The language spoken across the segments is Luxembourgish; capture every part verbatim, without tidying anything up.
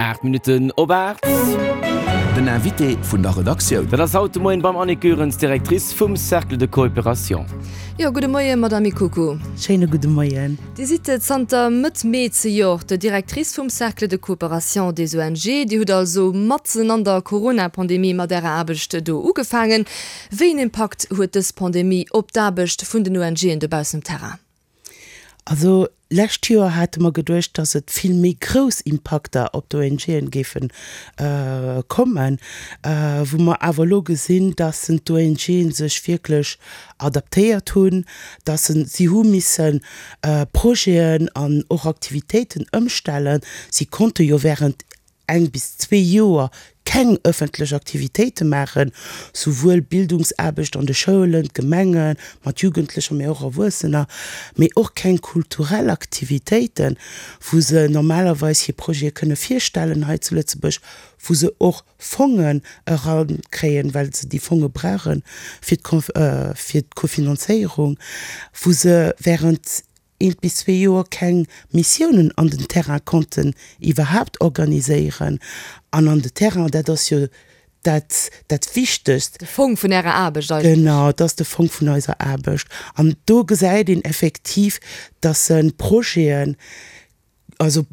Aacht Minutten op aacht. Den Invité vun der Redaktioun. Dat ass haut de Moien beim Annick Goerens, Directrice vum Cercle de Coopération. Jo, gudde Moien, Madame Ikuku. Schéine gudde Moien. Dir sidd zanter Mëtt Mee zejoert Directrice vum Cercle de Coopération des ONG. Dir hutt also matzen an der Corona-Pandemie mat Ärer Aarbecht do ugefaangen. Wéi een Impakt huet dës Pandemie op d'Aarbecht vun den ONGen dobaussen um Terrain? Also lescht Joer hate mer geduecht, dass et vill méi grouss Impakter op d'ONGen géife kommen, wou mer awer elo gesinn, dass d'ONGen sech wierklech adaptéiert hunn, dass si hu misse Projeten an och Aktivitéiten ëmstellen. Si konnte jo während eng bis zwee Joer keng ëffentlech Aktivitéite maachen, souwuel Bildungsaarbecht an de Schoulen, d'Gemenge mat Jugendlecher, mee och Erwuessener, mee och keng kulturell Aktivitéiten, wou se normalerweis hir Projete kënne virstellen hei zu Lëtzebuerg, wou se och Fongen erakréien, well se déi Fonge brauche fir d'Kofinanzéierung, wou se während eent bis zwee Joer keng Missiounen an den Terrain konnten iwwerhaapt organiséieren. An an de Terrain, dat ass jo dat, dat Wichtegst. De Fong vun Ärer Aarbecht eigentlech. Genau, dat ass de Fong vun eiser Aarbecht. An do gesäit een effektiv, dass Projeten, also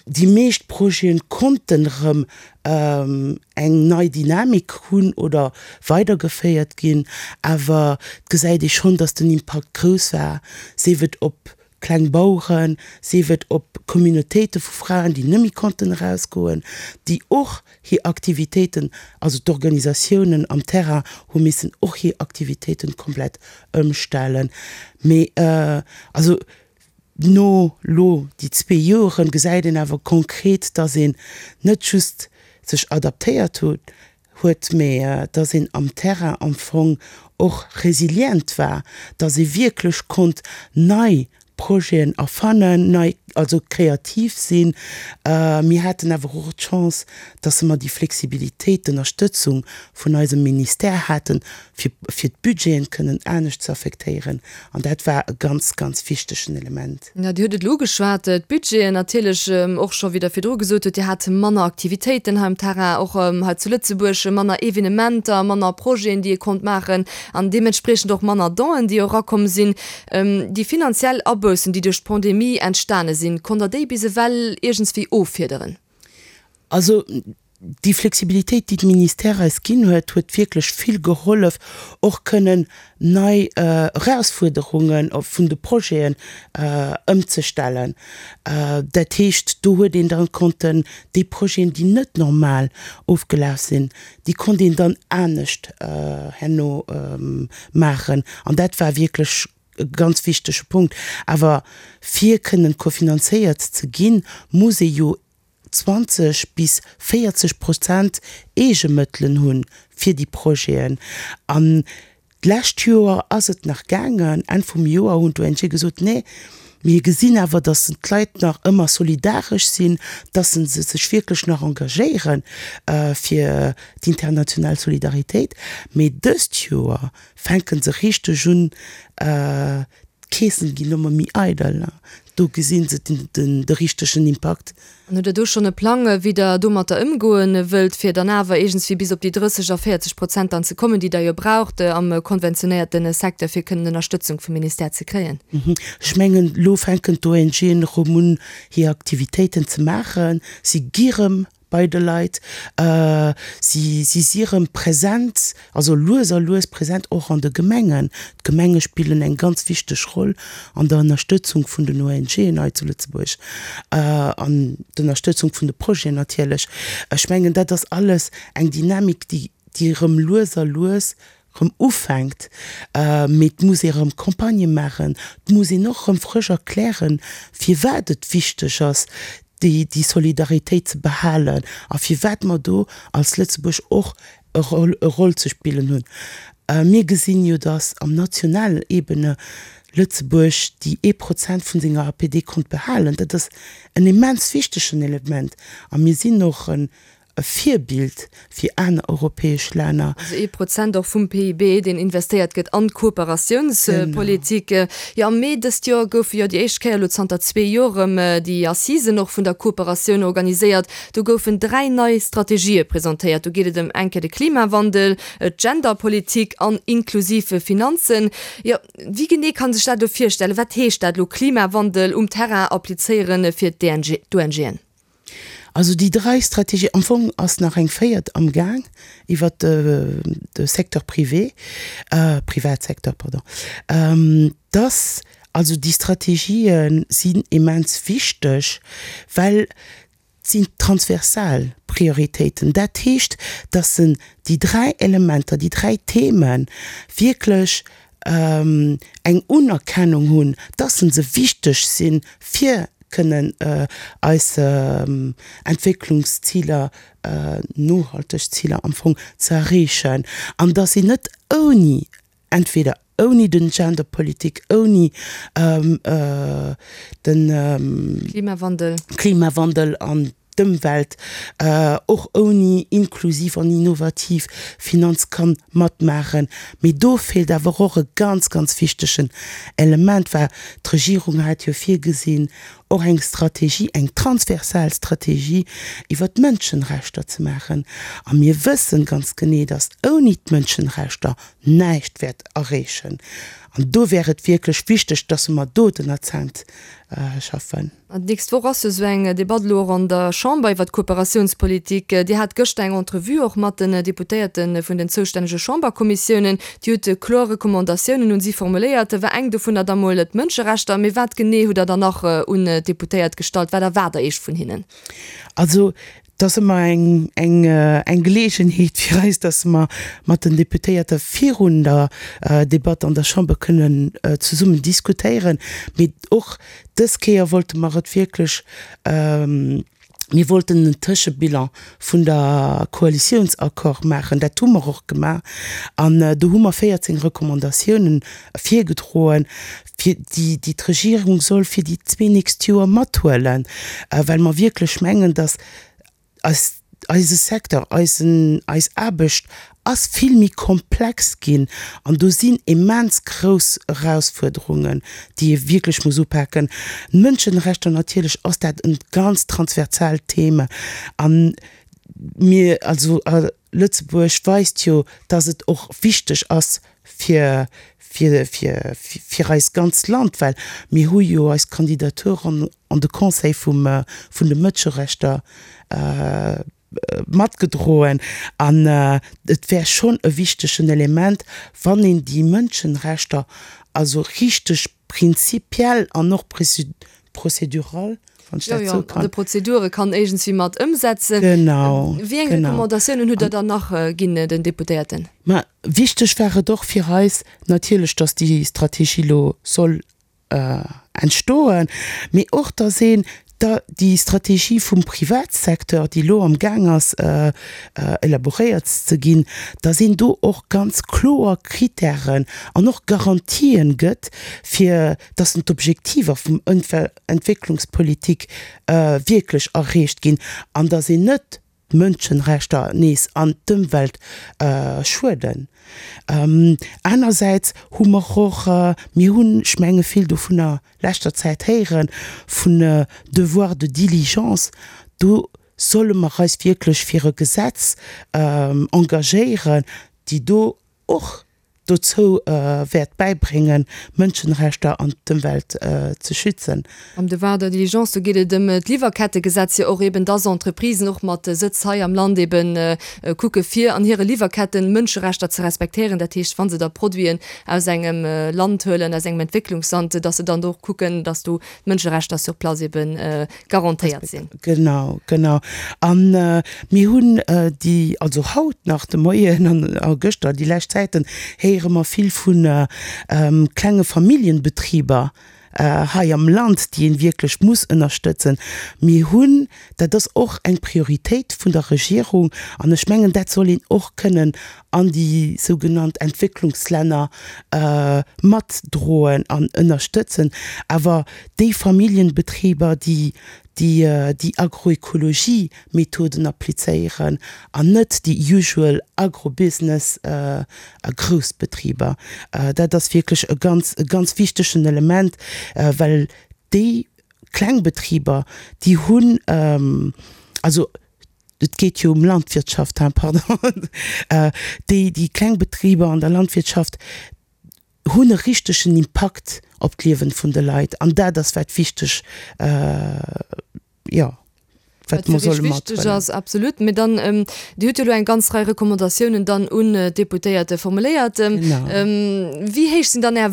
déi meescht Projeten konnten erëm eng nei Dynamik hunn oder weidergeféiert ginn, awer et gesäit ee schonn, dass den Impakt grouss war, sief et op kleng Baueren, sief et op Communautéite vu Fraen, déi net méi konnten erausgoen, déi och hir Aktivitéiten, also d'Organisatiounen am Terrain hu missen och hir Aktivitéiten komplett ëmstellen. Mee also no lo déi zwee Joren gesäit een awer konkret, dass een net just sech adaptéiert huet, mee dass een am Terrain am Fong och resilient war, dass ee wierklech konnt nei Projeten erfannen, nei, also kreativ sinn. Mir haten awer och d'Chance, dass mer déi Flexibilitéit, d'Ënnerstëtzung vun eisem Ministère haten, fir, fir d'Budgeten kënnen anescht ze affektéieren. An dat war e ganz, ganz wichtegen Element. Jo, Dir hutt et elo ugeschwat, d'Budgeten natierlech och scho, wéi Der virdru gesot hutt, Dir hat manner Aktivitéiten hei um Terrain, och hei zu Lëtzebuerg, manner Evenementer, manner Projeten, déi ee konnt maachen an deementspriechend och manner Donen, déi erakomm sinn. Déi finanziell Aboussen, déi duerch d'Pandemie entstane sinn, konnt Der déi bis ewell iergendswéi offiederen? Also déi Flexibilitéit, déi de Ministère eis ginn huet, huet wierklech vill gehollef, och kënnen nei Erausfuerderunge vun de Projeten ëmzestellen. Dat heescht, do huet een dann konnten déi Projeten, déi net normal ofgelaf sinn, déi konnt een dann anescht herno maachen. An dat war wierklech e ganz wichtege Punkt. Awer fir kënnen kofinanzéiert ze ginn, muss ee jo zwanzeg bis véierzeg Prozent Eegemëttelen hu fir déi Projeten. An d'lescht Joer ass et nach gaangen, Enn vum Joer hunn d'ONGe gesot, Nee, mir gesinn awer, datt d'Leit nach ëmmer solidaresch sinn, datt se sech wierklech nach engagéiere fir d'international Solidaritéit. Mee dëst Joer fänke se richteg un, d'Keesen ginn ëmmer méi eidel. Do gesi se de richtegen Impakt. An hutt Der do schonn e Plang, wéi Der domatter ëmgoe wëllt, fir dann awer iergendswéi bis op déi drësseg a véierzeg Prozent dann ze kommen, déi Der jo braucht am konventionéierte Secteur, fir kënnen Ënnerstëtzung vum Ministère ze kréien? Ech mengen, elo fänken d'ONGen erëm un, hir Aktivitéiten ze maachen. Si gi erëm bei de Leit, si si rëm present, also lues a lues present och an de Gemengen. D'Gemenge spillen eng ganz wichteg Roll an der Ënnerstëtzung vun den ONGen hei zu Lëtzebuerg an d'Ënnerstëtzung vun de Projeten natierlech. Ech mengen, dat ass alles eng Dynamik, déi déi rëm lues a lues rëm ufänkt. Mee et muss ee rëm Campagnë maachen, et muss een och rëm frësch erklären, firwat et wichteg ass, déi déi Solidaritéit ze behalen a firwat mer do als Lëtzebuerg och e Roll e Roll ze spillen hunn. Mir gesinn jo, datt am nationalen Ebene Lëtzebuerg déi ee Prozent vun senger A P D konnt behalen. Dat ass en immens wichtegen Element a mir sinn och en e Virbild fir aner europäesch Länner. Also ee Prozent och vum P I B, deen investéiert gëtt an d'Kooperatiounspolitik. Jo, am Mee dëst Joer goufe jo déi éischt Kéier elo zanter zwee Joer erëm déi Assisen och vun der Kooperatioun organiséiert. Do goufen dräi nei Strategië presentéiert. Do geet et ëm eng Kéier de Klimawandel, d'Genderpolitik an inklusiv Finanzen. Jo, wéi genee kann sech dat elo virstellen? Wat heescht dat elo, Klimawandel um Terrain applizéieren fir d'O N G'en? Also déi dräi Strategie, am Fong ass nach eng véiert am Gaang iwwer de Secteur privé, Privatsecteur, pardon, dass also déi Strategië sinn immens wichteg, well et sinn transversal Prioritéiten. Dat heescht, dass se déi dräi Elementer, déi dräi Themen wierklech eng Unerkennung hunn, dass se wichteg si fir kënnen eis Entwécklungsziler, nohalteg Ziler am Fong ze erreechen, an dass si net ouni, entweder ouni den Genderpolitik, ouni den Klimawandel. Klimawandel an d'Ëmwelt, och ouni inklusiv an innovativ Finanz kann matmaachen. Mee do feelt awer och e ganz, ganz wichtegen Element, well d'Regierung hat jo virgesinn, och eng Strategie, eng transversal Strategie iwwert d'Mënschenrechter ze maachen. A mir wëssen ganz genee, dass ouni d'Mënschenrechter näischt wäert erreechen. An do wär et wierklech wichteg, dass mer do den Akzent schaffen. An d'nächst Woch ass jo esou eng Debatt elo och an der Chamber iwwert d'Kooperatiounspolitik. Dir hat gëschter eng Entrevue och mat den Deputéierte vun den zoustännege Chamberkommissiounen. Dir hutt kloer Recommandatiounen un si formuléiert. War eng dovunner da mol d'Mënscherechter. Mee wat genee hutt Der dann nach un d'Deputéiert gestallt? Wat erwaart Der Iech vun hinnen? Also et ass ëmmer eng, eng, eng Geleegenheet fir eis, dass mer mat den Deputéierte virun der Debatt an der Chamber kënnen zesummen diskutéieren. Mee och dës Kéier wollte mer et wierklech, mir wollten en Tëschebilan vun der Koalitiounsaccord maachen. Dat hu mer och gemaach. An do hu mer véierzéng Recommandatiounen virgedroen, fir déi, déi d'Regierung soll fir déi zwee nächst Joer mathuelen, well mer wierklech mengen, dass eis, eise Secteur, eisen, eis Aarbecht ass vill méi komplex ginn an do sinn immens grouss Erausfuerderungen, déi ee wierklech muss upaken. D'Mënschenrechter, natierlech ass dat e ganz transversaalt Thema an mir, also Lëtzebuerg weist jo, dass et och wichteg ass fir, fir, fir, fir eist ganz Land, well mir hu jo eis Kandidatur an, an de Conseil vum, vun de Mënscherechter matgedroen an et wär schonn e wichtegen Element, wann een déi Mënschenrechter also richteg prinzipiell an och prozedural, wann ech Jo, dat jo, soe an de kann. Prozedure kann iergendswéi mat ëmsetzen. Genau, Wéi eng genau. Recommandatiounen hutt Der dann nach ginn den Deputéierten? Mä wichteg war et och fir eis natierlech, dass déi Strategie elo soll entstoen, mee och dass een da déi Strategie vum Privatsecteur, déi elo am Gaang ass elaboréiert ze ginn, dass een do och ganz kloer Kritären an och Garantien gëtt, fir dass d'Objektiver vum Entwécklungspolitik wierklech erreecht ginn an dass een net d'Mënschenrechter nees an d'Ëmwelt schueden. Anersäits hu mer och, mir hunn, ech menge vill dovunner leschter Zäit héieren, vun Devoir de diligence, do solle mer eis wierklech fir e Gesetz engagéieren, déi do och dozou wäert bäibréngen, d'Mënschenrechter an d'Ëmwelt ze schützen. Am Devoir de diligence, do geet et ëm d'Liwwerkettegesetz jo och eben, dass Entreprisen och mat Sëtz hei am Land eben kucke fir an hire Liwwerketten Mënscherechter ze respektéieren. Dat heescht, wa se da Produiten aus engem Land huelen, aus engem Entwécklungsland, dass se dann do och kucken, dass do d'Mënscherechter sur place eben garantéiert sinn. Genau, genau. A mir hunn déi, also haut nach de Moien an a gëschter, déi lescht Zäiten, héiere mer vill vu klenge Familljenbetriber hei am Land, déi een wierklech muss ënnerstëtzen. Mir hunn, dat ass och eng Prioritéit vun der Regierung, an ech mengen, dat soll een och kënnen an déi sougenannt Entwécklungslänner matdroen an ënnerstëtzen, awer déi Familljenbetriber, déi déi déi Agroekologie-Methoden applizéieren an net déi usual Agrobusiness a Groussbetriber. Dat ass wierklech e ganz, e ganz wichtegen Element, well déi kleng Betriber, déi hunn, also et geet jo ëm Landwirtschaft, hein, pardon, déi, déi kleng Betriber an der Landwirtschaft hunn e richtegen Impakt op d'Liewen vun de Leit an dat ass wat wichteg, jo, wat mer solle mathuelen. Wichteg ass, absolut. Mee dann, Dir hutt jo elo eng ganz Rei Recommandatiounen dann un d'Deputéierte formuléiert. Wéi héich sinn dann Är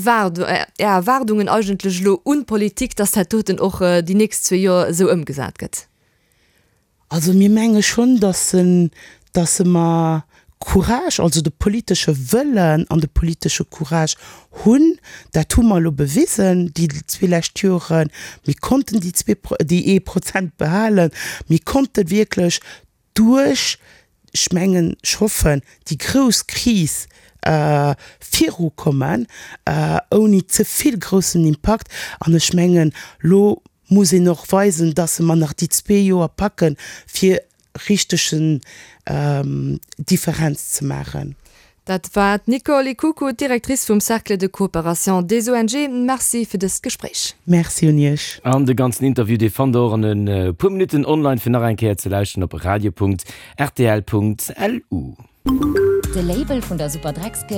Erwaardungen eigentlech elo un d'Politik, dass dat doten och déi nächst zwee Joer esou ëmgesat gëtt? Also mir menge schonn, dass en, dass se mer Courage, also de politesche Wëllen an de politesche Courage hunn. Dat hu mer elo bewisen déi zwee lescht Joren. Mir konnten déi zwee, déi ee Prozent behalen. Mir konnte wierklech duerch, ech mengen, ech hoffen, déi grouss Kris virukommen, ouni ze vill groussen Impakt. An ech mengen, elo muss een och weisen, dass mer nach déi zwee Joer packen, fir richtegen Differenz ze maachen. Dat war d'Nicole Ikuku, d'Directrice vum Cercle de coopération des ONG. Merci fir dëst Gespréich. Merci un Iech. An de ganzen Interview, dee fannt der och an e puer Minutten online fir nach eng Kéier ze lauschteren op radio.rtl.lu. De Label vun der Superdreckskëscht.